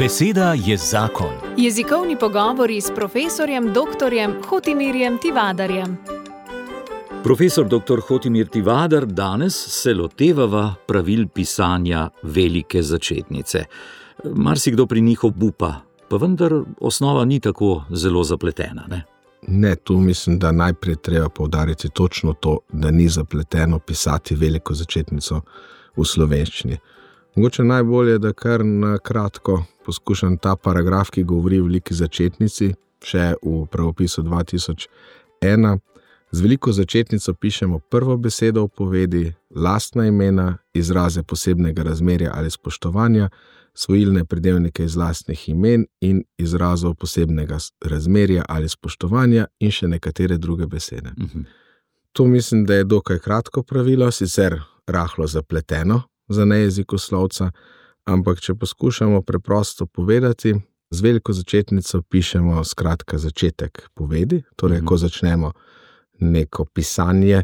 Beseda je zakon. Jezikovni pogovori s profesorjem dr. Hotimirjem Tivadarjem. Profesor dr. Hotimir Tivadar, danes se lotevava pravil pisanja velike začetnice. Marsikdo pri njih obupa, pa vendar osnova ni tako zelo zapletena, ne? Ne, tu mislim, da najprej treba poudariti točno to, da ni zapleteno pisati veliko začetnico v slovenščini. Mogoče najbolje, da kar na kratko poskušam ta paragraf, ki govori o veliki začetnici, še v pravopisu 2001. Z veliko začetnico pišemo prvo besedo v povedi, lastna imena, izraze posebnega razmerja ali spoštovanja, svojilne pridevnike iz lastnih imen in izrazov posebnega razmerja ali spoštovanja in še nekatere druge besede. To mislim, da je dokaj kratko pravilo, sicer rahlo zapleteno za nejezikoslovca, ampak če poskušamo preprosto povedati, z veliko začetnico pišemo skratka začetek povedi, torej ko začnemo neko pisanje,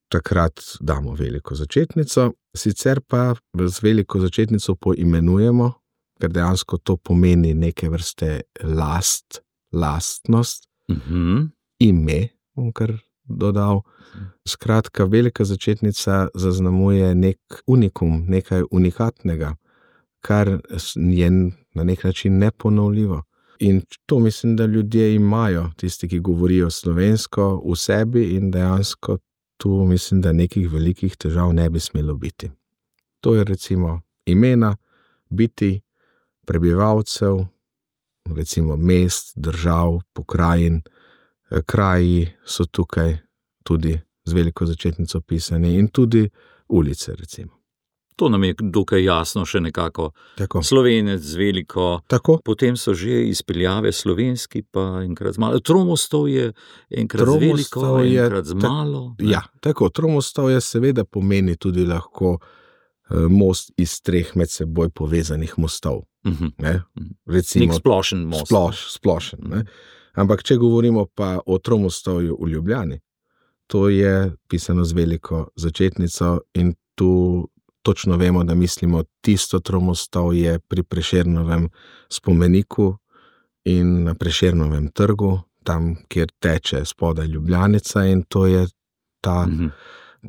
takrat damo veliko začetnico, sicer pa z veliko začetnico poimenujemo, ker dejansko to pomeni neke vrste lastnost, ime, bom kar dodal. Skratka, velika začetnica zaznamuje nek unikum, nekaj unikatnega, kar je na nek način neponovljivo. In to mislim, da ljudje imajo, tisti, ki govorijo slovensko, v sebi in dejansko tu mislim, da nekih velikih težav ne bi smelo biti. To je recimo imena, biti, prebivalcev, recimo mest, držav, pokrajin, kraji so tukaj tudi z veliko začetnico pisani in tudi ulice recimo. To nam je dokaj jasno še nekako. Tako. Slovenec z veliko, tako. Potem so že izpeljave slovenski, pa enkrat z malo. Tromostov je enkrat z veliko, enkrat z malo. Ja, tako. Tromostov je seveda pomeni tudi lahko most iz 3 med seboj povezanih mostov. Recimo, nek splošen most. Splošen, ne? Ampak če govorimo pa o Tromostovju v Ljubljani, to je pisano z veliko začetnico in tu točno vemo, da mislimo tisto Tromostovje pri Prešernovem spomeniku in na Prešernovem trgu, tam, kjer teče spodaj Ljubljanica, in to je ta,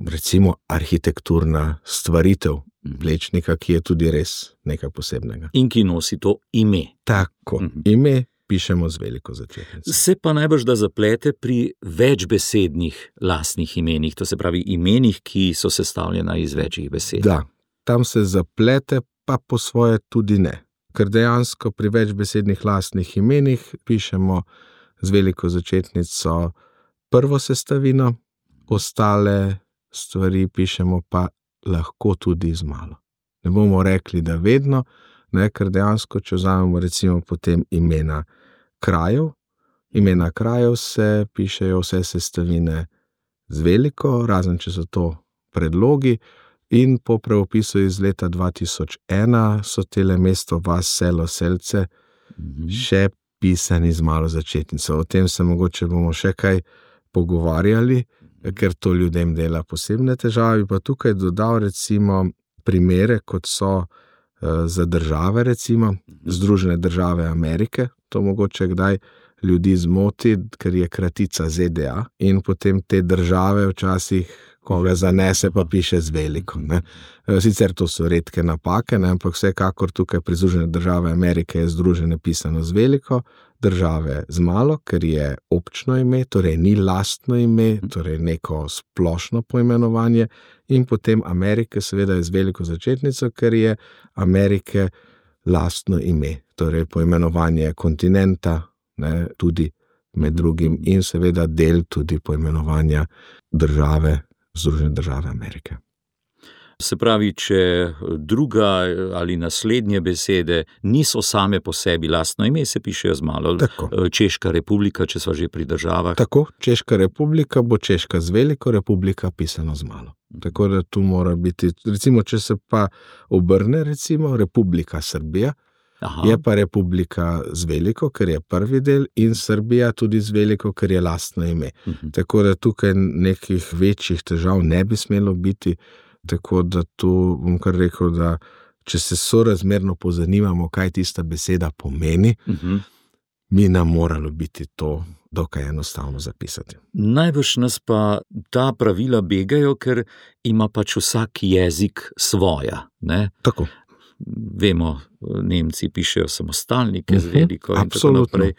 recimo, arhitekturna stvaritev Plečnika, ki je tudi res nekaj posebnega. In ki nosi to ime. Tako, ime pišemo z veliko začetnico. Se pa najbrž da zaplete pri večbesednih lastnih imenih, to se pravi imenih, ki so sestavljena iz večjih besed. Da, tam se zaplete, pa po svoje tudi ne. Ker dejansko pri večbesednih lastnih imenih pišemo z veliko začetnico prvo sestavino, ostale stvari pišemo pa lahko tudi z malo. Ne bomo rekli, da vedno, ne, ker dejansko, če vzamemo recimo potem imena krajev se pišejo vse sestavine z veliko, razen če so to predlogi, in po pravopisu iz leta 2001 so tele mesto, vas, selo, selce še pisani z malo začetnico. O tem se mogoče bomo še kaj pogovarjali, ker to ljudem dela posebne težave, pa tukaj dodal recimo primere, kot so za države recimo, Združene države Amerike, to mogoče kdaj ljudi zmoti, ker je kratica ZDA in potem te države včasih, ko ga zanese, pa piše z veliko, ne. Sicer to so redke napake, ne, ampak vsekakor tukaj pri Združene države Amerike je združene pisano z veliko, države z malo, ker je občno ime, torej ni lastno ime, torej neko splošno poimenovanje, in potem Amerike seveda je z veliko začetnico, ker je Amerike lastno ime, torej poimenovanje kontinenta, ne, tudi med drugim, in seveda del tudi poimenovanja države, Združene države Amerike. Se pravi, če druga ali naslednje besede niso same po sebi lastno ime, se pišejo z malo. Tako. Češka republika, če sva že pri državah. Tako, Češka republika bo Češka z veliko, republika pisano z malo. Tako da tu mora biti, recimo, če se pa obrne, recimo, Republika Srbija, je pa republika z veliko, ker je prvi del, in Srbija tudi z veliko, ker je lastno ime. Tako da tukaj nekih večjih težav ne bi smelo biti, tako da tu bom kar rekel, da če se sorazmerno pozanimamo, kaj tista beseda pomeni, bi nam moralo biti to dokaj enostavno zapisati. Najbrž nas pa ta pravila begajo, ker ima pač vsak jezik svoja, ne? Tako. Vemo, Nemci pišejo samostalnike z veliko in tako naprej.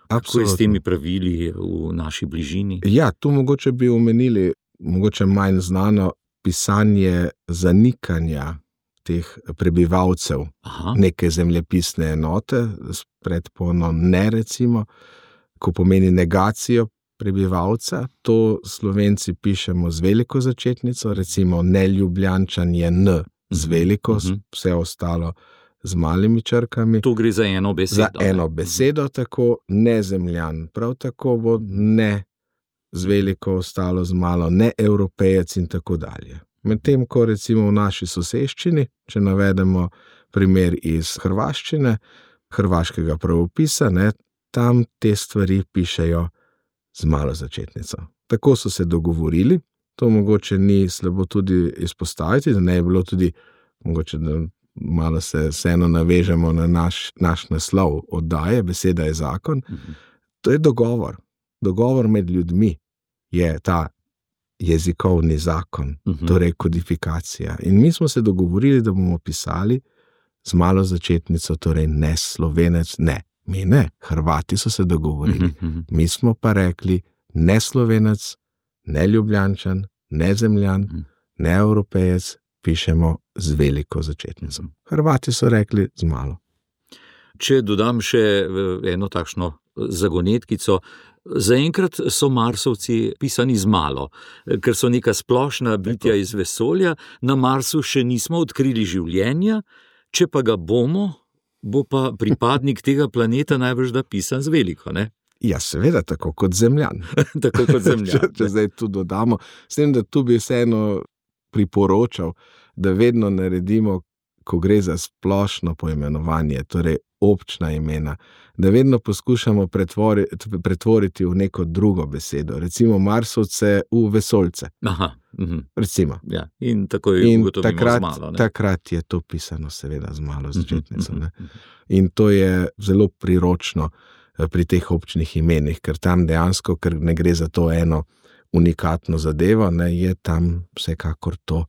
Kako je s temi pravili v naši bližini? Ja, tu mogoče bi omenili, mogoče manj znano, pisanje zanikanja teh prebivalcev, neke zemljepisne enote, s predpono ne recimo, ko pomeni negacijo prebivalca, to Slovenci pišemo z veliko začetnico, recimo Neljubljančan je N z veliko, vse ostalo z malimi črkami. To gre za eno besedo. Za eno besedo, tako Nezemljan, prav tako bo ne z veliko ostalo z malo, ne Evropejec in tako dalje. Medtem ko recimo v naši soseščini, če navedemo primer iz hrvaščine, hrvaškega pravopisa, ne, tam te stvari pišejo z malo začetnico. Tako so se dogovorili, to mogoče ni slabo tudi izpostaviti, da ne je bilo tudi, mogoče da malo se vseeno navežemo na naš naslov oddaje, beseda je zakon. To je dogovor. Dogovor med ljudmi je ta jezikovni zakon, torej kodifikacija. In mi smo se dogovorili, da bomo pisali z malo začetnico, torej ne Slovenec, ne. Mi ne, Hrvati so se dogovorili. Mi smo pa rekli ne Slovenec, ne Ljubljančan, ne Zemljan, ne Evropejec, pišemo z veliko začetnico. Hrvati so rekli z malo. Če dodam še eno takšno zagonetkico, zaenkrat so Marsovci pisani z malo, ker so neka splošna bitja iz vesolja, na Marsu še nismo odkrili življenja, če pa ga bomo, bo pa pripadnik tega planeta najbrž da pisan z veliko, ne? Ja, seveda, tako kot Zemljan. Tako kot Zemljan. Če zdaj tu dodamo, s tem, da tu bi vseeno priporočal, da vedno naredimo, ko gre za splošno poimenovanje, torej občna imena, da vedno poskušamo pretvoriti v neko drugo besedo, recimo Marsovce v vesoljce. Recimo. Ja, in tako je ugotovimo z malo. Takrat je to pisano seveda z malo začetnico. In to je zelo priročno pri teh občnih imenih, ker tam dejansko, ker ne gre za to eno unikatno zadevo, ne, je tam vsekakor to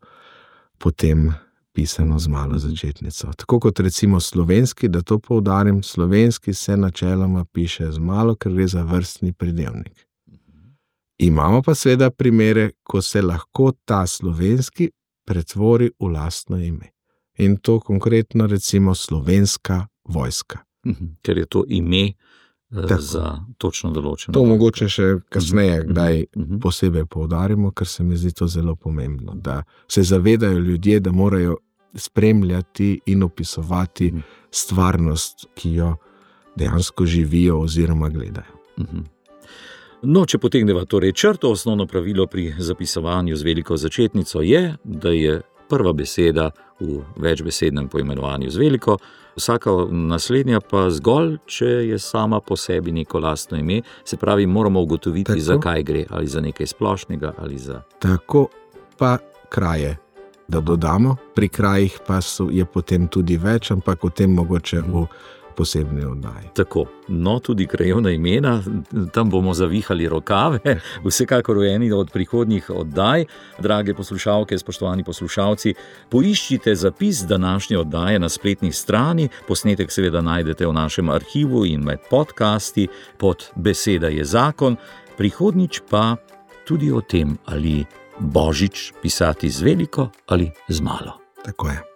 potem pisano z malo začetnico. Tako kot recimo slovenski, da to poudarim, slovenski se načeloma piše z malo, ker gre za vrstni pridevnik. Imamo pa seveda primere, ko se lahko ta slovenski pretvori v lastno ime. In to konkretno recimo Slovenska vojska. Ker je to ime za točno določeno. To mogoče še kasneje kdaj posebej poudarimo, ker se mi zdi to zelo pomembno, da se zavedajo ljudje, da morajo spremljati in opisovati stvarnost, ki jo dejansko živijo oziroma gledajo. No, če potegneva torej črto, osnovno pravilo pri zapisovanju z veliko začetnico je, da je prva beseda v večbesednem poimenovanju z veliko, vsaka naslednja pa zgolj, če je sama po sebi neko lastno ime, se pravi, moramo ugotoviti, za kaj gre, ali za nekaj splošnega, ali za... Tako pa kraje, da dodamo, pri krajih pa je potem tudi več, ampak o tem mogoče v posebni oddaji. Tako, no tudi krajevna imena, tam bomo zavihali rokave, vsekakor v eni od prihodnjih oddaj. Drage poslušalke, spoštovani poslušalci, poiščite zapis današnje oddaje na spletni strani, posnetek seveda najdete v našem arhivu in med podcasti pod Beseda je zakon, prihodnjič pa tudi o tem, ali Božič pisati z veliko ali z malo. Tako je.